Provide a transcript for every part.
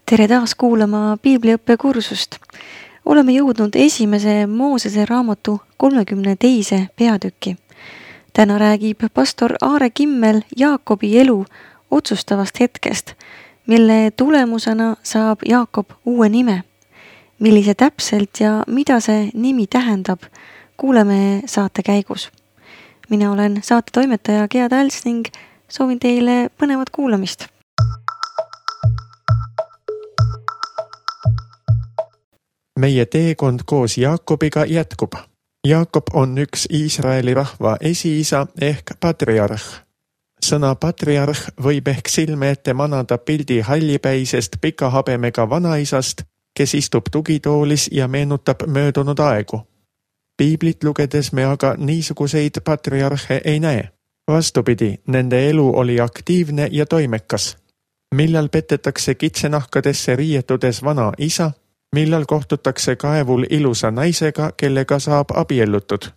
Tere taas kuulama piibliõppekursust. Oleme jõudnud esimese Moosese raamatu 32. peatüki. Täna räägib pastor Aare Kimmel Jaakobi elu otsustavast hetkest, mille tulemusena saab Jaakob uue nime. Millise täpselt ja mida see nimi tähendab, kuuleme saate käigus. Mina olen saate toimetaja Gea Täls ning soovin teile põnevat kuulamist. Meie teekond koos Jaakobiga jätkub. Jaakob on üks Iisraeli rahva esiisa ehk patriarh. Sõna patriarh võib ehk silme ette manada pildi hallipäisest pika habemega vanaisast, kes istub tugitoolis ja meenutab möödunud aegu. Piiblit lugedes me aga niisuguseid patriarhe ei näe. Vastupidi, nende elu oli aktiivne ja toimekas. Millal petetakse kitsenahkadesse riietudes vana isa, millal kohtutakse kaevul ilusa naisega, kellega saab abiellutud,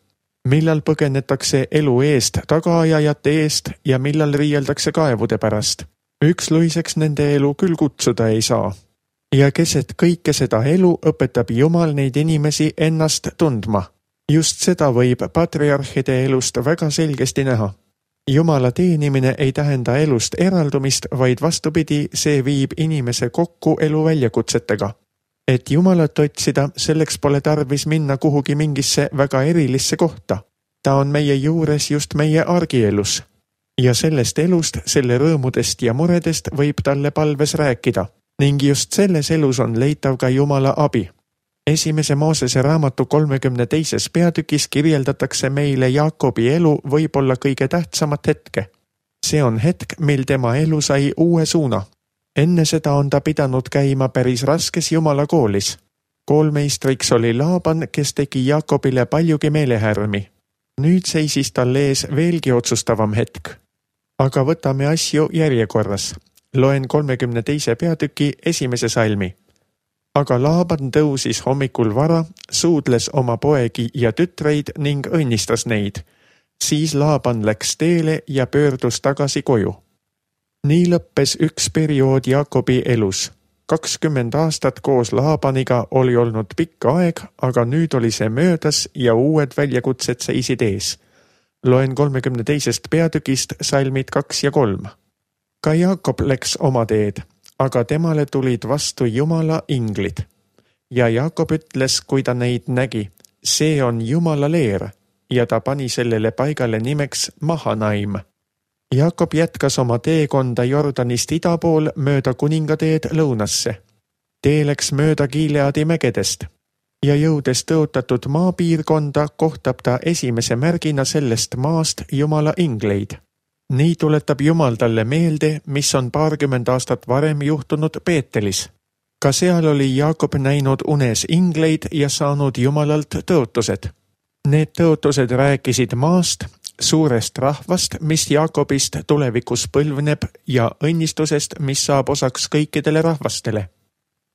millal põgenetakse elu eest tagaajajate eest ja millal riieldakse kaevude pärast. Üksluiseks nende elu küll kutsuda ei saa. Ja keset kõike seda elu õpetab Jumal neid inimesi ennast tundma. Just seda võib patriarhide elust väga selgesti näha. Jumala teenimine ei tähenda elust eraldumist, vaid vastupidi, see viib inimese kokku elu väljakutsetega. Et Jumalat otsida, selleks pole tarvis minna kuhugi mingisse väga erilisse kohta. Ta on meie juures just meie argielus. Ja sellest elust, selle rõõmudest ja muredest võib talle palves rääkida. Ning just selles elus on leitav ka Jumala abi. Esimese Moosese raamatu 32. peatükis kirjeldatakse meile Jaakobi elu võib-olla kõige tähtsamat hetke. See on hetk, mil tema elu sai uue suuna. Enne seda on ta pidanud käima päris raskes Jumala koolis. Koolmeistriks oli Laaban, kes tegi Jaakobile paljugi meelehärmi. Nüüd seisis tal ees veelgi otsustavam hetk. Aga võtame asju järjekorras. Loen 32. peatüki 1. salmi. Aga Laaban tõusis hommikul vara, suudles oma poegi ja tütreid ning õnnistas neid. Siis Laaban läks teele ja pöördus tagasi koju. Nii lõppes üks periood Jaakobi elus. 20 aastat koos Laabaniga oli olnud pikk aeg, aga nüüd oli see möödas ja uued väljakutsed seisid ees. Loen 32. peatükist salmid 2 ja 3. Ka Jaakob läks oma teed, aga temale tulid vastu Jumala inglid. Ja Jaakob ütles, kui ta neid nägi, see on Jumala leer, ja ta pani sellele paigale nimeks Mahanaim. Jaakob jätkas oma teekonda Jordanist ida pool mööda kuningateed lõunasse. Tee läks mööda Gileadi mägedest ja jõudes tõotatud maapiirkonda kohtab ta esimese märgina sellest maast Jumala ingleid. Nii tuletab Jumal talle meelde, mis on 20 aastat varem juhtunud Peetelis. Ka seal oli Jaakob näinud unes ingleid ja saanud Jumalalt tõotused. Need tõotused rääkisid maast, suurest rahvast, mis Jaakobist tulevikus põlvneb ja õnnistusest, mis saab osaks kõikidele rahvastele.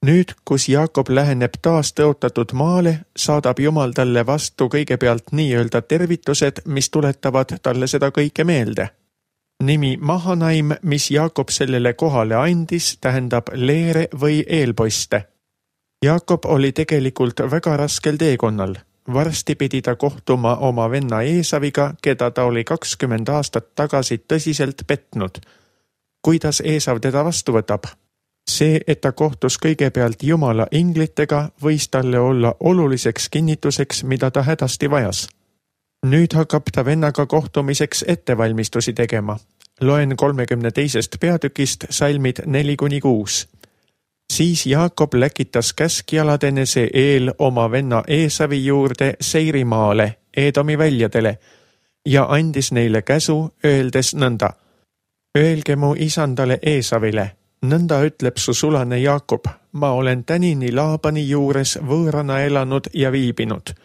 Nüüd, kus Jaakob läheneb taas tõotatud maale, saadab Jumal talle vastu kõigepealt nii-öelda tervitused, mis tuletavad talle seda kõike meelde. Nimi Mahanaim, mis Jaakob sellele kohale andis, tähendab leere või eelpoiste. Jaakob oli tegelikult väga raskel teekonnal. Varsti pidi ta kohtuma oma venna Eesaviga, keda ta oli 20 aastat tagasi tõsiselt petnud. Kuidas Eesav teda vastu võtab? See, et ta kohtus kõigepealt Jumala inglitega, võis talle olla oluliseks kinnituseks, mida ta hädasti vajas. Nüüd hakkab ta vennaga kohtumiseks ettevalmistusi tegema. Loen 32. peatükist salmid 4-6. Siis Jaakob läkitas käskjaladenese eel oma venna Eesavi juurde Seirimaale, Eedomi väljadele, ja andis neile käsu, öeldes nõnda. Öelge mu isandale Eesavile, nõnda ütleb su sulane Jaakob, ma olen tänini Laabani juures võõrana elanud ja viibinud.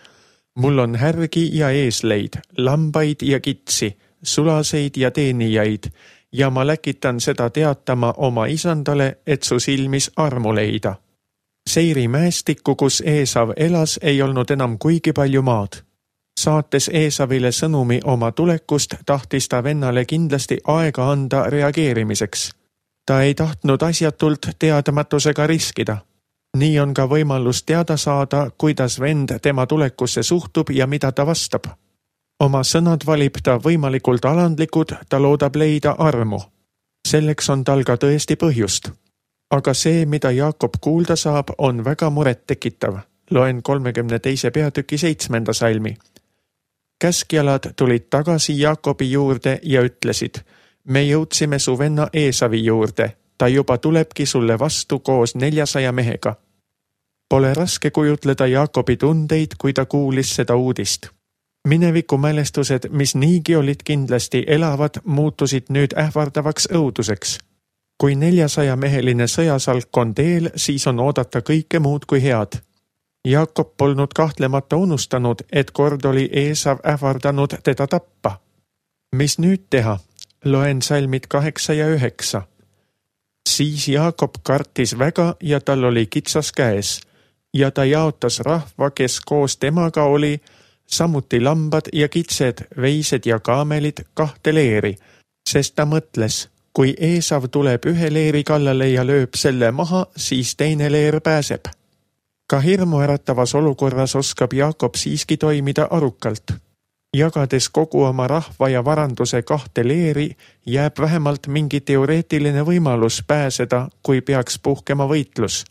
Mul on härgi ja eesleid, lambaid ja kitsi, sulaseid ja teenijaid, ja ma läkitan seda teatama oma isandale, et su silmis armu leida. Seiri mäestikku, kus Eesav elas, ei olnud enam kuigi palju maad. Saates Eesavile sõnumi oma tulekust, tahtis ta vennale kindlasti aega anda reageerimiseks. Ta ei tahtnud asjatult teadmatusega riskida. Nii on ka võimalus teada saada, kuidas vend tema tulekusse suhtub ja mida ta vastab. Oma sõnad valib ta võimalikult alandlikud, ta loodab leida armu. Selleks on tal ka tõesti põhjust. Aga see, mida Jaakob kuulda saab, on väga muret tekitav. Loen 32. peatüki 7. salmi. Käskjalad tulid tagasi Jaakobi juurde ja ütlesid: me jõudsime su venna Eesavi juurde, ta juba tulebki sulle vastu koos 400 mehega. Pole raske kujutleda Jaakobi tundeid, kui ta kuulis seda uudist. Mineviku mälestused, mis niigi olid kindlasti elavad, muutusid nüüd ähvardavaks õuduseks. Kui 400-meheline sõjasalk on teel, siis on oodata kõike muud kui head. Jaakob polnud kahtlemata unustanud, et kord oli Eesav ähvardanud teda tappa. Mis nüüd teha? Loen salmid 8 ja 9. Siis Jaakob kartis väga ja tal oli kitsas käes ja ta jaotas rahva, kes koos temaga oli, samuti lambad ja kitsed, veised ja kaamelid 2 leeri, sest ta mõtles, kui Eesav tuleb ühe leeri kallale ja lööb selle maha, siis teine leer pääseb. Ka hirmuäratavas olukorras oskab Jaakob siiski toimida arukalt. Jagades kogu oma rahva ja varanduse 2 leeri, jääb vähemalt mingi teoreetiline võimalus pääseda, kui peaks puhkema võitlus.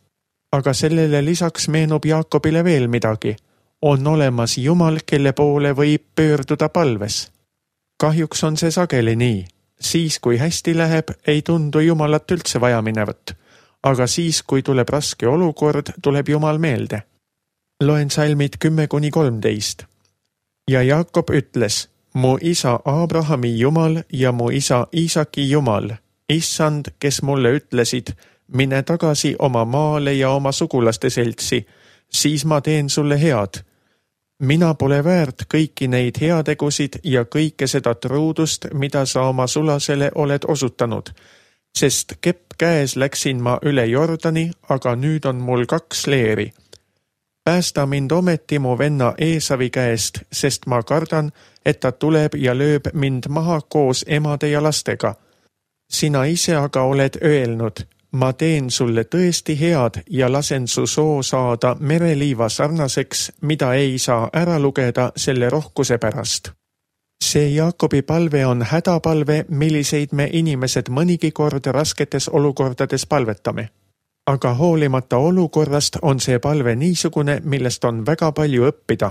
Aga sellele lisaks meenub Jaakobile veel midagi. On olemas Jumal, kelle poole võib pöörduda palves. Kahjuks on see sageli nii. Siis, kui hästi läheb, ei tundu Jumalat üldse vaja minevat. Aga siis, kui tuleb raske olukord, tuleb Jumal meelde. Loen salmid 10-13. Ja Jaakob ütles: mu isa Abrahami Jumal ja mu isa Iisaki Jumal, issand, kes mulle ütlesid, mine tagasi oma maale ja oma sugulaste seltsi, siis ma teen sulle head. Mina pole väärt kõiki neid heategusid ja kõike seda truudust, mida sa oma sulasele oled osutanud, sest kepp käes läksin ma üle Jordani, aga nüüd on mul 2 leeri. Päästa mind ometi mu venna Eesavi käest, sest ma kardan, et ta tuleb ja lööb mind maha koos emade ja lastega. Sina ise aga oled öelnud: ma teen sulle tõesti head ja lasen su soo saada mereliiva sarnaseks, mida ei saa ära lugeda selle rohkuse pärast. See Jaakobi palve on hädapalve, milliseid me inimesed mõnigi kord rasketes olukordades palvetame. Aga hoolimata olukorrast on see palve niisugune, millest on väga palju õppida.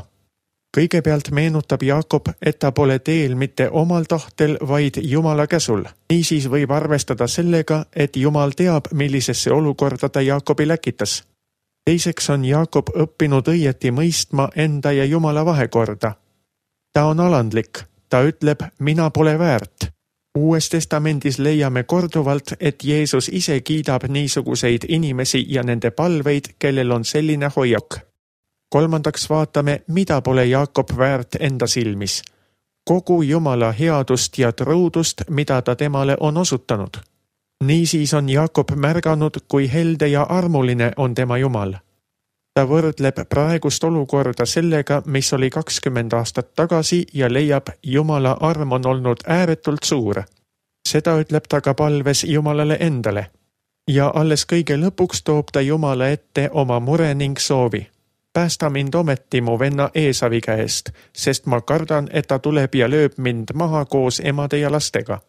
Kõigepealt meenutab Jaakob, et ta pole teel mitte omal tahtel, vaid Jumala käsul. Niisiis võib arvestada sellega, et Jumal teab, millisesse olukorda ta Jaakobi läkitas. Teiseks on Jaakob õppinud õieti mõistma enda ja Jumala vahekorda. Ta on alandlik, ta ütleb, mina pole väärt. Uues testamendis leiame korduvalt, et Jeesus ise kiidab niisuguseid inimesi ja nende palveid, kellel on selline hoiak. Kolmandaks vaatame, mida pole Jaakob väärt enda silmis. Kogu Jumala headust ja truudust, mida ta temale on osutanud. Niisiis on Jaakob märganud, kui helde ja armuline on tema Jumal. Ta võrdleb praegust olukorda sellega, mis oli 20 aastat tagasi ja leiab, Jumala arm on olnud ääretult suur. Seda ütleb ta ka palves Jumalale endale. Ja alles kõige lõpuks toob ta Jumala ette oma mure ning soovi. Päästa mind ometi mu venna Eesavi käest, sest ma kardan, et ta tuleb ja lööb mind maha koos emade ja lastega.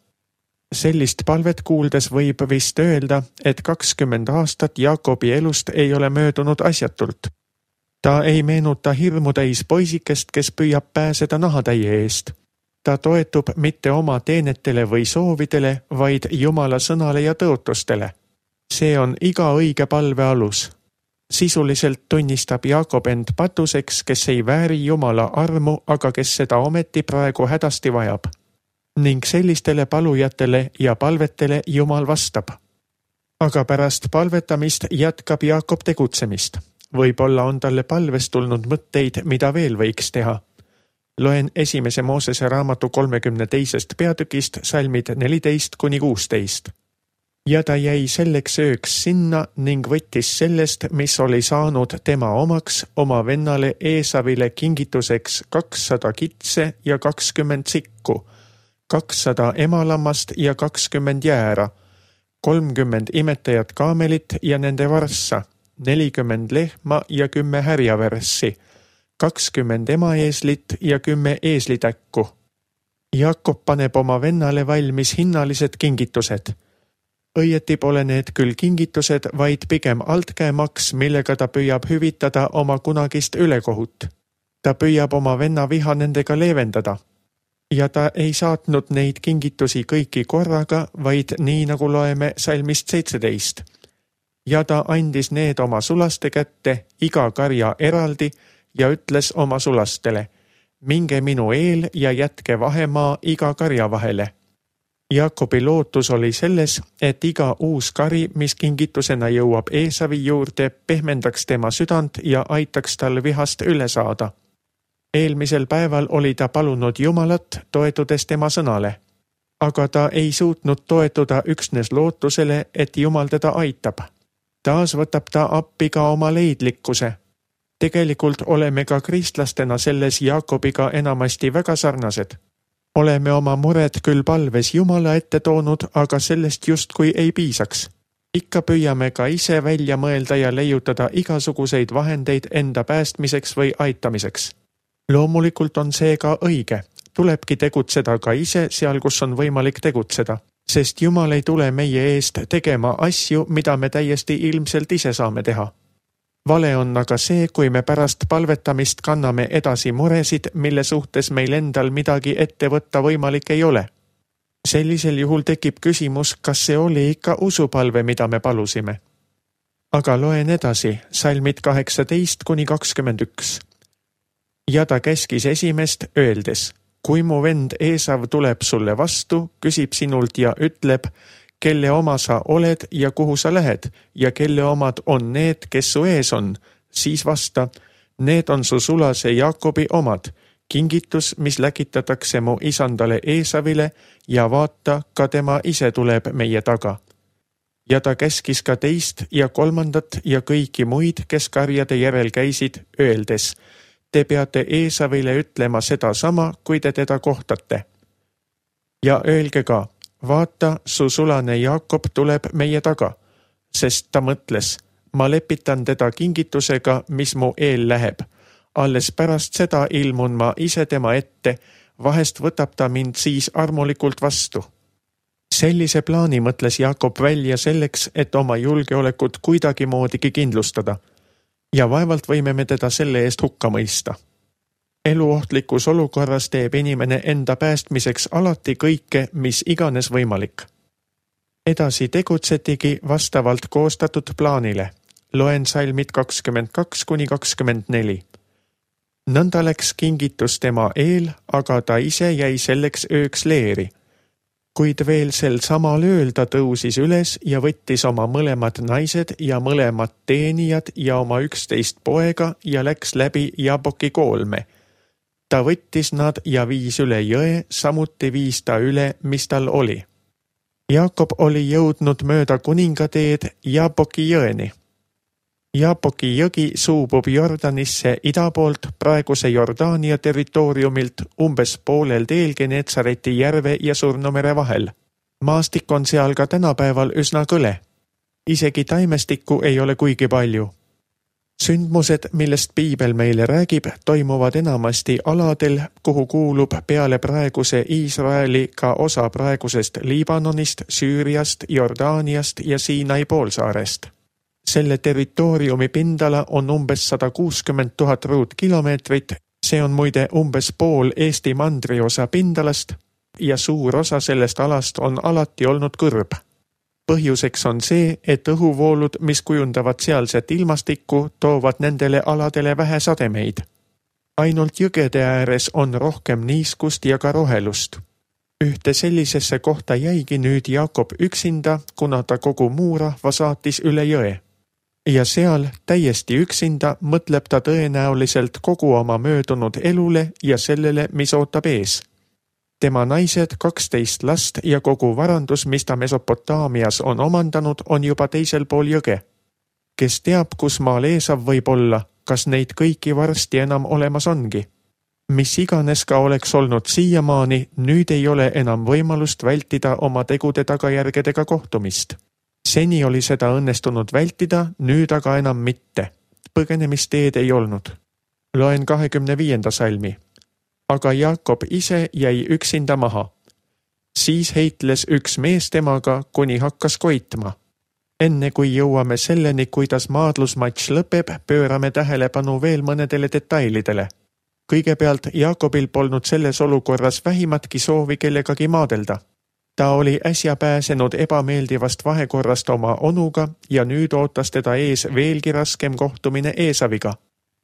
Sellist palvet kuuldes võib vist öelda, et 20 aastat Jaakobi elust ei ole möödunud asjatult. Ta ei meenuta hirmutäis poisikest, kes püüab pääseda nahatäie eest. Ta toetub mitte oma teenetele või soovidele, vaid Jumala sõnale ja tõotustele. See on iga õige palve alus. Sisuliselt tunnistab Jaakob end patuseks, kes ei vääri Jumala armu, aga kes seda ometi praegu hädasti vajab. Ning sellistele palujatele ja palvetele Jumal vastab. Aga pärast palvetamist jätkab Jaakob tegutsemist. Võib-olla on talle palvest tulnud mõtteid, mida veel võiks teha. Loen 1. Moosese raamatu 32. peatükist salmid 14-16. Ja ta jäi selleks ööks sinna ning võttis sellest, mis oli saanud tema omaks, oma vennale Eesavile kingituseks 200 kitse ja 20 sikku, 200 emalammast ja 20 jäära, 30 imetajat kaamelit ja nende varssa, 40 lehma ja 10 härjaverssi, 20 emaeeslit ja 10 eeslitäkku. Jaakop paneb oma vennale valmis hinnalised kingitused. Õieti pole need küll kingitused, vaid pigem altkäemaks, millega ta püüab hüvitada oma kunagist ülekohut. Ta püüab oma venna viha nendega leevendada. Ja ta ei saatnud neid kingitusi kõiki korraga, vaid nii nagu loeme salmist 17. Ja ta andis need oma sulaste kätte, iga karja eraldi, ja ütles oma sulastele: minge minu eel ja jätke vahemaa iga karja vahele. Jaakobi lootus oli selles, et iga uus kari, mis kingitusena jõuab Eesavi juurde, pehmendaks tema südant ja aitaks tal vihast üle saada. Eelmisel päeval oli ta palunud Jumalat, toetudes tema sõnale. Aga ta ei suutnud toetuda üksnes lootusele, et Jumal teda aitab. Taas võtab ta appi ka oma leidlikkuse. Tegelikult oleme ka kristlastena selles Jaakobiga enamasti väga sarnased. Oleme oma mured küll palves Jumala ette toonud, aga sellest justkui ei piisaks. Ikka püüame ka ise välja mõelda ja leiutada igasuguseid vahendeid enda päästmiseks või aitamiseks. Loomulikult on see ka õige. Tulebki tegutseda ka ise seal, kus on võimalik tegutseda, sest Jumal ei tule meie eest tegema asju, mida me täiesti ilmselt ise saame teha. Vale on aga see, kui me pärast palvetamist kanname edasi muresid, mille suhtes meil endal midagi ette võtta võimalik ei ole. Sellisel juhul tekib küsimus, kas see oli ikka usupalve, mida me palusime. Aga loen edasi, salmid 18-21. Ja ta käskis esimest öeldes: kui mu vend Eesav tuleb sulle vastu, küsib sinult ja ütleb, kelle oma sa oled ja kuhu sa lähed ja kelle omad on need, kes su ees on, siis vasta: need on su sulase Jaakobi omad, kingitus, mis läkitatakse mu isandale Eesavile, ja vaata, ka tema ise tuleb meie taga. Ja ta käskis ka teist ja kolmandat ja kõiki muid, kes karjade järel käisid, öeldes: te peate Eesavile ütlema seda sama, kui te teda kohtate. Ja öelge ka: vaata, su sulane Jaakob tuleb meie taga, sest ta mõtles: ma lepitan teda kingitusega, mis mu eel läheb. Alles pärast seda ilmun ma ise tema ette, vahest võtab ta mind siis armulikult vastu. Sellise plaani mõtles Jaakob välja selleks, et oma julgeolekut kuidagi moodigi kindlustada. Ja vaevalt võime me teda selle eest hukka mõista. Eluohtlikus olukorras teeb inimene enda päästmiseks alati kõike, mis iganes võimalik. Edasi tegutsetigi vastavalt koostatud plaanile. Loen salmid 22-24. Nõnda läks kingitus tema eel, aga ta ise jäi selleks ööks leeri. Kuid veel sel samal ööl ta tõusis üles ja võttis oma mõlemad naised ja mõlemad teenijad ja oma 11 poega ja läks läbi Jaboki koolme. Ta võttis nad ja viis üle jõe, samuti viis ta üle, mis tal oli. Jaakob oli jõudnud mööda kuningateed Jaboki jõeni. Jaboki jõgi suubub Jordanisse ida poolt praeguse Jordaania territooriumilt umbes poolel teel Genetsareti järve ja Surnumere vahel. Maastik on seal ka tänapäeval üsna kõle. Isegi taimestikku ei ole kuigi palju. Sündmused, millest Piibel meile räägib, toimuvad enamasti aladel, kuhu kuulub peale praeguse Iisraeli ka osa praegusest Liibanonist, Süüriast, Jordaaniast ja Siinai poolsaarest. Selle territooriumi pindala on umbes 160 000 ruutkilomeetrit, see on muide umbes pool Eesti mandriosa pindalast ja suur osa sellest alast on alati olnud kõrb. Põhjuseks on see, et õhuvoolud, mis kujundavad sealset ilmastikku, toovad nendele aladele vähe sademeid. Ainult jõgede ääres on rohkem niiskust ja ka rohelust. Ühte sellisesse kohta jäigi nüüd Jaakob üksinda, kuna ta kogu muu rahva saatis üle jõe. Ja seal täiesti üksinda mõtleb ta tõenäoliselt kogu oma möödunud elule ja sellele, mis ootab ees. Tema naised, 12 last ja kogu varandus, mis ta Mesopotaamias on omandanud, on juba teisel pool jõge. Kes teab, kus maal Eesav võib olla, kas neid kõiki varsti enam olemas ongi? Mis iganes ka oleks olnud siiamaani, nüüd ei ole enam võimalust vältida oma tegude tagajärgedega kohtumist. Seni oli seda õnnestunud vältida, nüüd aga enam mitte. Põgenemisteed ei olnud. Loen 25. salmi. Aga Jaakob ise jäi üksinda maha. Siis heitles üks mees temaga, kuni hakkas koitma. Enne kui jõuame selleni, kuidas maadlusmatš lõpeb, pöörame tähelepanu veel mõnedele detailidele. Kõigepealt Jaakobil polnud selles olukorras vähimatki soovi kellegagi maadelda. Ta oli äsja pääsenud ebameeldivast vahekorrast oma onuga ja nüüd ootas teda ees veelgi raskem kohtumine Eesaviga.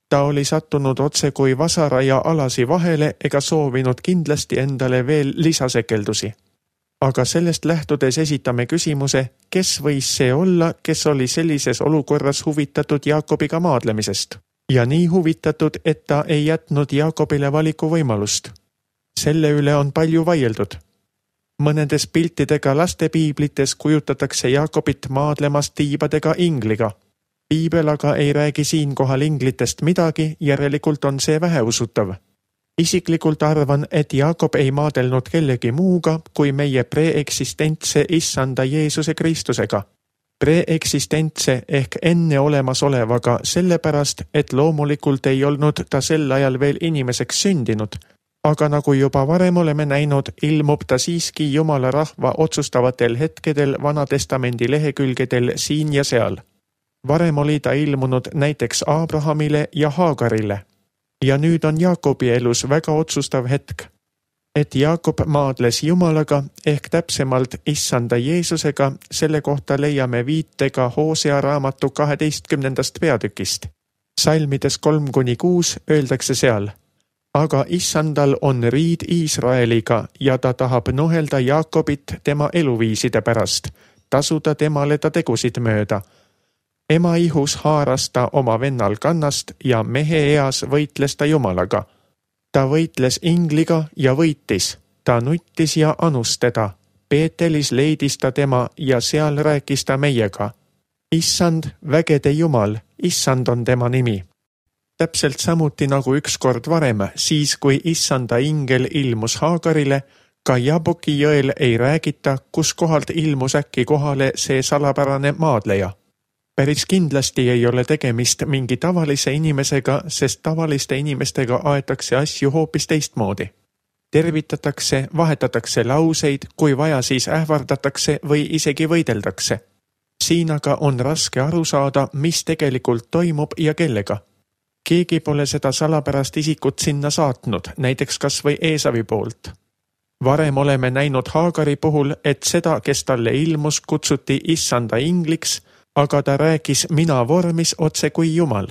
Ta oli sattunud otse kui vasara ja alasi vahele ega soovinud kindlasti endale veel lisasekeldusi. Aga sellest lähtudes esitame küsimuse, kes võis see olla, kes oli sellises olukorras huvitatud Jaakobiga maadlemisest ja nii huvitatud, et ta ei jätnud Jaakobile valiku võimalust. Selle üle on palju vaieldud. Mõnedes piltidega lastepiiblites kujutatakse Jaakobit maadlemas tiibadega ingliga. Piibel aga ei räägi siinkohal inglitest midagi, järelikult on see väheusutav. Isiklikult arvan, et Jaakob ei maadelnud kellegi muuga kui meie preeksistentse issanda Jeesuse Kristusega. Preeksistentse ehk enne olemasolevaga sellepärast, et loomulikult ei olnud ta sel ajal veel inimeseks sündinud, aga nagu juba varem oleme näinud, ilmub ta siiski Jumala rahva otsustavatel hetkedel Vanatestamendi lehekülgedel siin ja seal. Varem oli ta ilmunud näiteks Abrahamile ja Haagarile. Ja nüüd on Jaakobi elus väga otsustav hetk, et Jaakob maadles Jumalaga ehk täpsemalt issanda Jeesusega, selle kohta leiame viitega Hosea raamatu 12. peatükist. Salmides 3-6 öeldakse seal, aga issandal on riid Iisraeliga ja ta tahab nuhelda Jaakobit tema eluviiside pärast, tasuda temale ta tegusid mööda. Ema ihus haaras ta oma vennal kannast ja mehe eas võitles ta Jumalaga. Ta võitles ingliga ja võitis, ta nuttis ja anus teda. Peetelis leidis ta tema ja seal rääkis ta meiega. Issand, vägede Jumal, issand on tema nimi. Täpselt samuti nagu ükskord varem, siis kui issanda ingel ilmus Haagarile, ka Jaboki jõel ei räägita, kus kohalt ilmus äkki kohale see salapärane maadleja. Päris kindlasti ei ole tegemist mingi tavalise inimesega, sest tavaliste inimestega aetakse asju hoopis teistmoodi. Tervitatakse, vahetatakse lauseid, kui vaja siis ähvardatakse või isegi võideldakse. Siin aga on raske aru saada, mis tegelikult toimub ja kellega. Keegi pole seda salapärast isikut sinna saatnud, näiteks kas või Eesavi poolt. Varem oleme näinud Haagari puhul, et seda, kes talle ilmus, kutsuti issanda ingliks, aga ta rääkis mina vormis otse kui Jumal.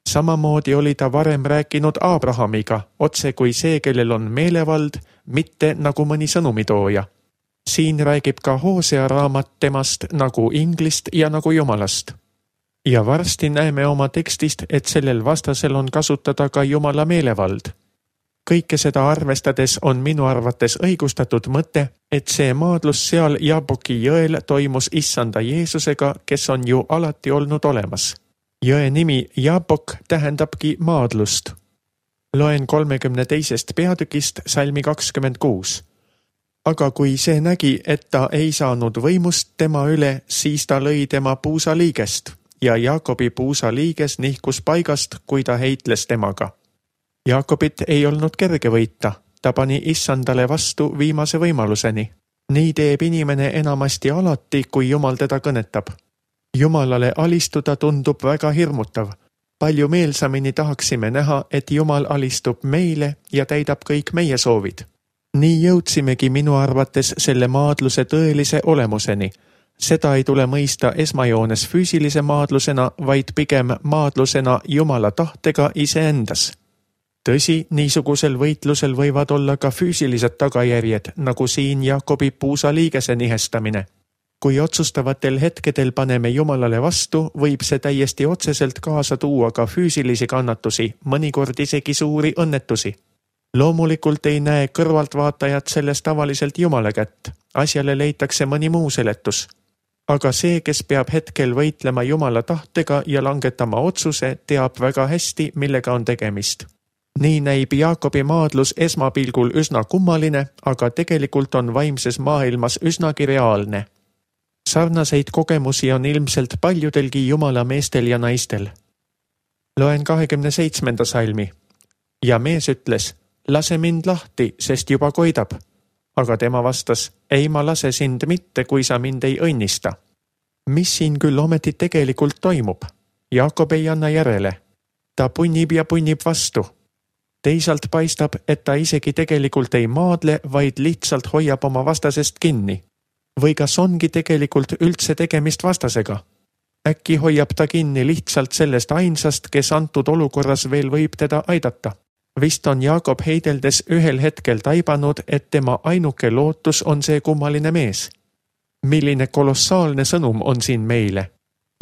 Samamoodi oli ta varem rääkinud Abrahamiga, otse kui see, kellel on meelevald, mitte nagu mõni sõnumitooja. Siin räägib ka Hosea raamat temast nagu inglist ja nagu Jumalast. Ja varsti näeme oma tekstist, et sellel vastasel on kasutada ka Jumala meelevald. Kõike seda arvestades on minu arvates õigustatud mõte, et see maadlus seal Jaboki jõel toimus issanda Jeesusega, kes on ju alati olnud olemas. Jõe nimi Jabok tähendabki maadlust. Loen 32. peatükist salmi 26. Aga kui see nägi, et ta ei saanud võimust tema üle, siis ta lõi tema puusaliigest ja Jaakobi puusaliiges nihkus paigast, kui ta heitles temaga. Jaakobit ei olnud kerge võita, ta pani issandale vastu viimase võimaluseni. Nii teeb inimene enamasti alati, kui Jumal teda kõnetab. Jumalale alistuda tundub väga hirmutav. Palju meelsamini tahaksime näha, et Jumal alistub meile ja täidab kõik meie soovid. Nii jõudsimegi minu arvates selle maadluse tõelise olemuseni. Seda ei tule mõista esmajoones füüsilise maadlusena, vaid pigem maadlusena Jumala tahtega iseendas. Tõsi, niisugusel võitlusel võivad olla ka füüsilised tagajärjed, nagu siin Jaakobi puusaliigese nihestamine. Kui otsustavatel hetkedel paneme Jumalale vastu, võib see täiesti otseselt kaasa tuua ka füüsilisi kannatusi, mõnikord isegi suuri õnnetusi. Loomulikult ei näe kõrvaltvaatajad selles tavaliselt Jumala kätt, asjale leitakse mõni muu seletus. Aga see, kes peab hetkel võitlema Jumala tahtega ja langetama otsuse, teab väga hästi, millega on tegemist. Nii näib Jaakobi maadlus esmapilgul üsna kummaline, aga tegelikult on vaimses maailmas üsnagi reaalne. Sarnaseid kogemusi on ilmselt paljudelgi Jumala meestel ja naistel. Loen 27. salmi. Ja mees ütles, lase mind lahti, sest juba koidab. Aga tema vastas, ei ma lase sind mitte, kui sa mind ei õnnista. Mis siin küll ometi tegelikult toimub? Jaakob ei anna järele. Ta punnib ja punnib vastu. Teisalt paistab, et ta isegi tegelikult ei maadle, vaid lihtsalt hoiab oma vastasest kinni. Või kas ongi tegelikult üldse tegemist vastasega? Äkki hoiab ta kinni lihtsalt sellest ainsast, kes antud olukorras veel võib teda aidata. Vist on Jaakob heideldes ühel hetkel taibanud, et tema ainuke lootus on see kummaline mees. Milline kolossaalne sõnum on siin meile.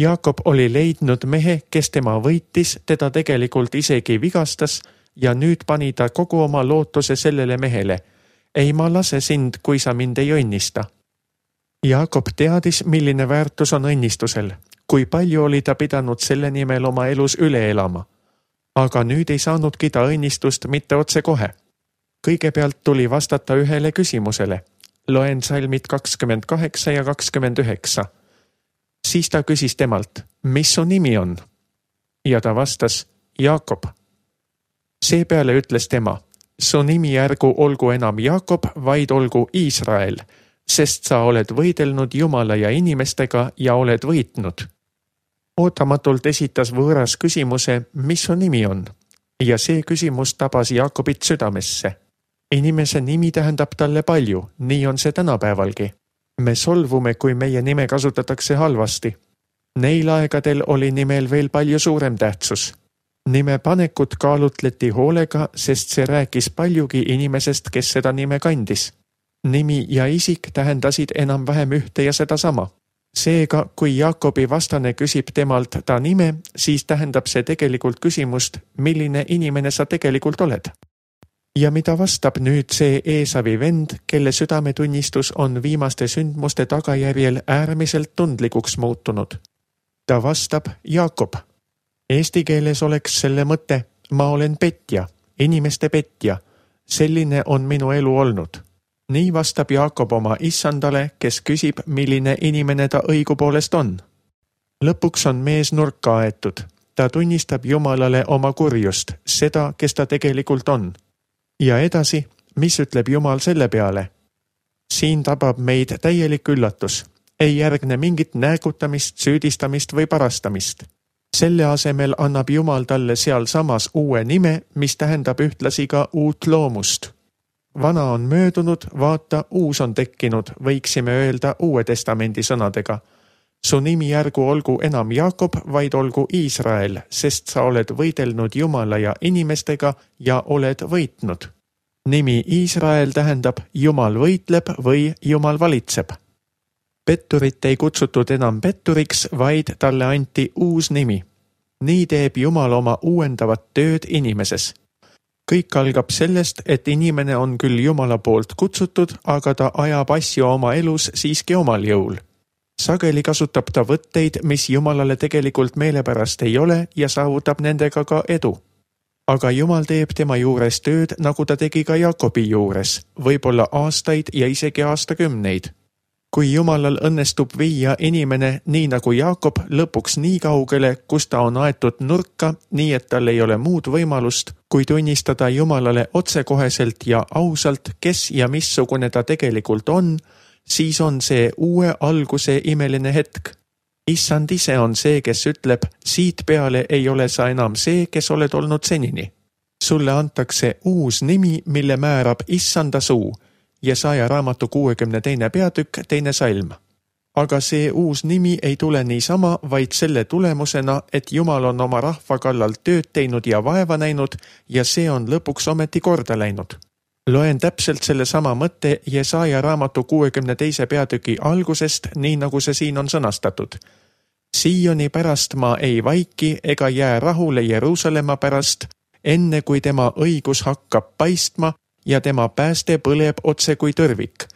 Jaakob oli leidnud mehe, kes tema võitis, teda tegelikult isegi vigastas ja nüüd pani ta kogu oma lootuse sellele mehele. Ei ma lase sind, kui sa mind ei õnnista. Jaakob teadis, milline väärtus on õnnistusel, kui palju oli ta pidanud selle nimel oma elus üle elama. Aga nüüd ei saanudki ta õnnistust mitte otse kohe. Kõigepealt tuli vastata ühele küsimusele. Loen salmid 28 ja 29. Siis ta küsis temalt, mis su nimi on? Ja ta vastas, Jaakob. Seepeale ütles tema, su nimi ärgu olgu enam Jaakob, vaid olgu Iisrael, sest sa oled võidelnud Jumala ja inimestega ja oled võitnud. Ootamatult esitas võõras küsimuse, mis su nimi on? Ja see küsimus tabas Jaakobit südamesse. Inimese nimi tähendab talle palju, nii on see tänapäevalgi. Me solvume, kui meie nime kasutatakse halvasti. Neil aegadel oli nimel veel palju suurem tähtsus. Nime panekut kaalutleti hoolega, sest see rääkis paljugi inimesest, kes seda nime kandis. Nimi ja isik tähendasid enam-vähem ühte ja seda sama. Seega, kui Jaakobi vastane küsib temalt ta nime, siis tähendab see tegelikult küsimust, milline inimene sa tegelikult oled. Ja mida vastab nüüd see Eesavi vend, kelle südametunnistus on viimaste sündmuste tagajärjel äärmiselt tundlikuks muutunud? Ta vastab Jaakob. Eesti keeles oleks selle mõte, ma olen petja, inimeste petja. Selline on minu elu olnud. Nii vastab Jaakob oma issandale, kes küsib, milline inimene ta õigupoolest on. Lõpuks on mees nurka aetud. Ta tunnistab Jumalale oma kurjust, seda, kes ta tegelikult on. Ja edasi, mis ütleb Jumal selle peale? Siin tabab meid täielik üllatus. Ei järgne mingit näägutamist, süüdistamist või parastamist. Selle asemel annab Jumal talle seal samas uue nime, mis tähendab ühtlasi ka uut loomust. Vana on möödunud, vaata, uus on tekkinud, võiksime öelda Uue Testamendi sõnadega. Su nimi ärgu olgu enam Jaakob, vaid olgu Iisrael, sest sa oled võidelnud Jumala ja inimestega ja oled võitnud. Nimi Iisrael tähendab Jumal võitleb või Jumal valitseb. Petturit ei kutsutud enam petturiks, vaid talle anti uus nimi. Nii teeb Jumal oma uuendavat tööd inimeses. Kõik algab sellest, et inimene on küll Jumala poolt kutsutud, aga ta ajab asju oma elus siiski omal jõul. Sageli kasutab ta võtteid, mis Jumalale tegelikult meelepärast ei ole ja saavutab nendega ka edu. Aga Jumal teeb tema juures tööd, nagu ta tegi ka Jaakobi juures, võib-olla aastaid ja isegi aastakümneid. Kui Jumalal õnnestub viia inimene nii nagu Jaakob lõpuks nii kaugele, kus ta on aetud nurka, nii et tal ei ole muud võimalust, kui tunnistada Jumalale otsekoheselt ja ausalt, kes ja missugune ta tegelikult on, siis on see uue alguse imeline hetk. Issand ise on see, kes ütleb, siit peale ei ole sa enam see, kes oled olnud senini. Sulle antakse uus nimi, mille määrab Issanda suu. Jesaja raamatu 62. peatükk, 2. salm. Aga see uus nimi ei tule niisama, vaid selle tulemusena, et Jumal on oma rahva kallal tööd teinud ja vaeva näinud ja see on lõpuks ometi korda läinud. Loen täpselt selle sama mõtte Jesaja raamatu 62. peatüki algusest, nii nagu see siin on sõnastatud. Sioni pärast ma ei vaiki ega jää rahule Jeruusalemma pärast, enne kui tema õigus hakkab paistma ja tema pääste põleb otse kui tõrvik.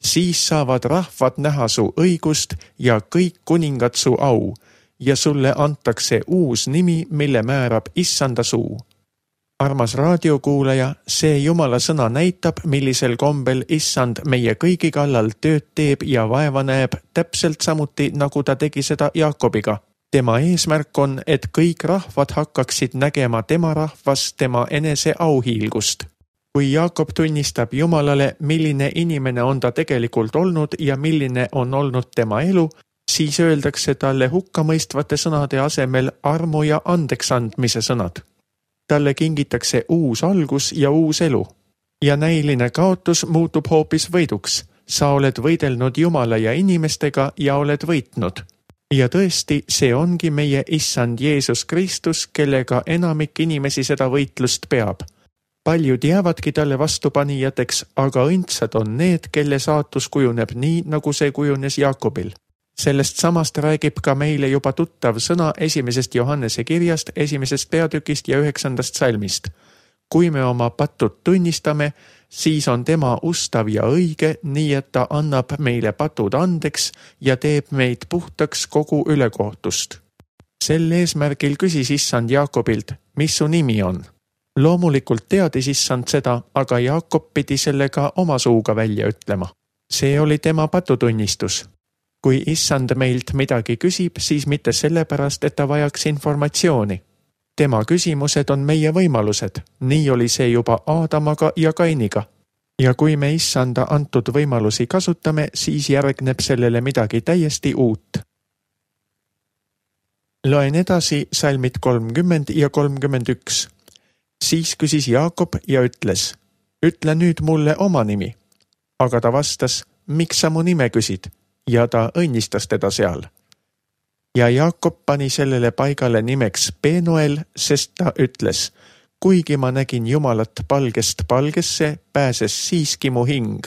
Siis saavad rahvad näha su õigust ja kõik kuningad su au ja sulle antakse uus nimi, mille määrab Issanda suu. Armas raadiokuulaja, see Jumala sõna näitab, millisel kombel Issand meie kõigi kallal tööd teeb ja vaeva näeb täpselt samuti, nagu ta tegi seda Jaakobiga. Tema eesmärk on, et kõik rahvad hakkaksid nägema tema rahvas tema enese auhiilgust. Kui Jaakob tunnistab Jumalale, milline inimene on ta tegelikult olnud ja milline on olnud tema elu, siis öeldakse talle hukkamõistvate sõnade asemel armu ja andeksandmise sõnad. Talle kingitakse uus algus ja uus elu. Ja näiline kaotus muutub hoopis võiduks. Sa oled võidelnud Jumala ja inimestega ja oled võitnud. Ja tõesti, see ongi meie Issand Jeesus Kristus, kellega enamik inimesi seda võitlust peab. Paljud jäävadki talle vastupanijateks, aga õndsad on need, kelle saatus kujuneb nii, nagu see kujunes Jaakobil. Sellest samast räägib ka meile juba tuttav sõna 1. Johannese kirjast, 1. peatükist ja 9. salmist. Kui me oma patud tunnistame, siis on tema ustav ja õige, nii et ta annab meile patud andeks ja teeb meid puhtaks kogu ülekohtust. Sel eesmärgil küsis Issand Jaakobilt, mis su nimi on? Loomulikult teadis Issand seda, aga Jaakob pidi sellega oma suuga välja ütlema. See oli tema patutunnistus. Kui Issand meilt midagi küsib, siis mitte sellepärast, et ta vajaks informatsiooni. Tema küsimused on meie võimalused. Nii oli see juba Aadamaga ja Kainiga. Ja kui me Issanda antud võimalusi kasutame, siis järgneb sellele midagi täiesti uut. Loen edasi salmid 30 ja 31. Siis küsis Jaakob ja ütles, ütle nüüd mulle oma nimi. Aga ta vastas, miks sa mu nime küsid? Ja ta õnnistas teda seal. Ja Jaakob pani sellele paigale nimeks Penuel, sest ta ütles, kuigi ma nägin Jumalat palgest palgesse, pääses siiski mu hing.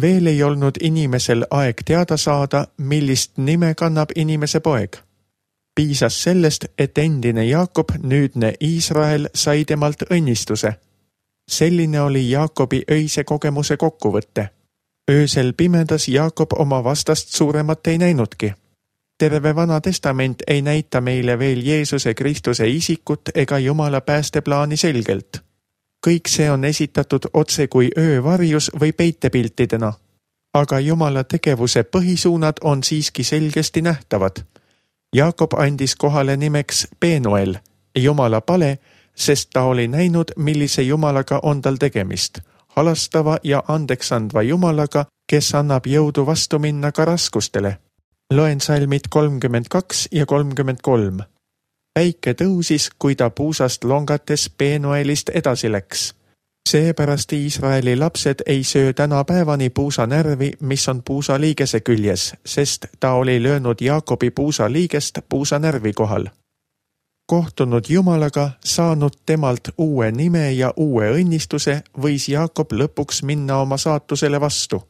Veel ei olnud inimesel aeg teada saada, millist nime kannab inimese poeg. Piisas sellest, et endine Jaakob, nüüdne Iisrael, sai temalt õnnistuse. Selline oli Jaakobi öise kogemuse kokkuvõtte. Öösel pimedas Jaakob oma vastast suuremat ei näinudki. Terve Vana Testament ei näita meile veel Jeesuse Kristuse isikut ega Jumala päästeplaani selgelt. Kõik see on esitatud otse kui öövarjus või peitepiltidena. Aga Jumala tegevuse põhisuunad on siiski selgesti nähtavad. Jaakob andis kohale nimeks Penuel, Jumala pale, sest ta oli näinud, millise Jumalaga on tal tegemist. Halastava ja andeksandva Jumalaga, kes annab jõudu vastu minna ka raskustele. Loen salmid 32 ja 33. Päike tõusis, kui ta puusast longates Penuelist edasi läks. Seepärast Iisraeli lapsed ei söö tänapäevani puusanärvi, mis on puusaliigese küljes, sest ta oli löönud Jaakobi puusaliigest puusanärvi kohal. Kohtunud Jumalaga, saanud temalt uue nime ja uue õnnistuse, võis Jaakob lõpuks minna oma saatusele vastu.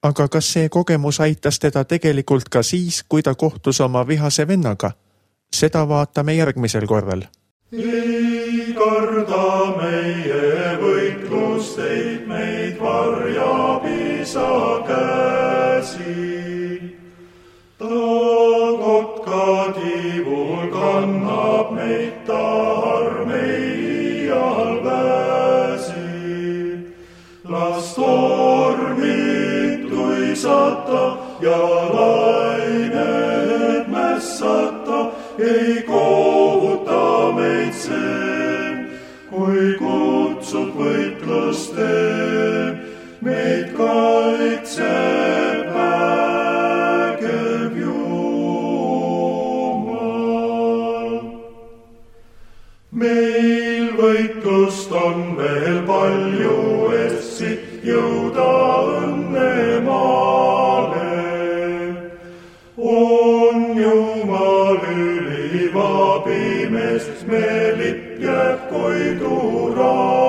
Aga kas see kogemus aitas teda tegelikult ka siis, kui ta kohtus oma vihase vennaga? Seda vaatame järgmisel korral. Ei karda meie võitlusteid, meid varjab isa käsi. Ta kotka tiivul kannab meid, ta armeial pääsi. Las tormid tuisata ja lained mässata, ei kohuta meid see, kui kutsub võitlusteen, meid kaitseb vägev Jumal. Meil võitlust on veel palju, et siit jõuda õnnemaale. On Jumal ülivabimees, me lipp jääb koidu raale.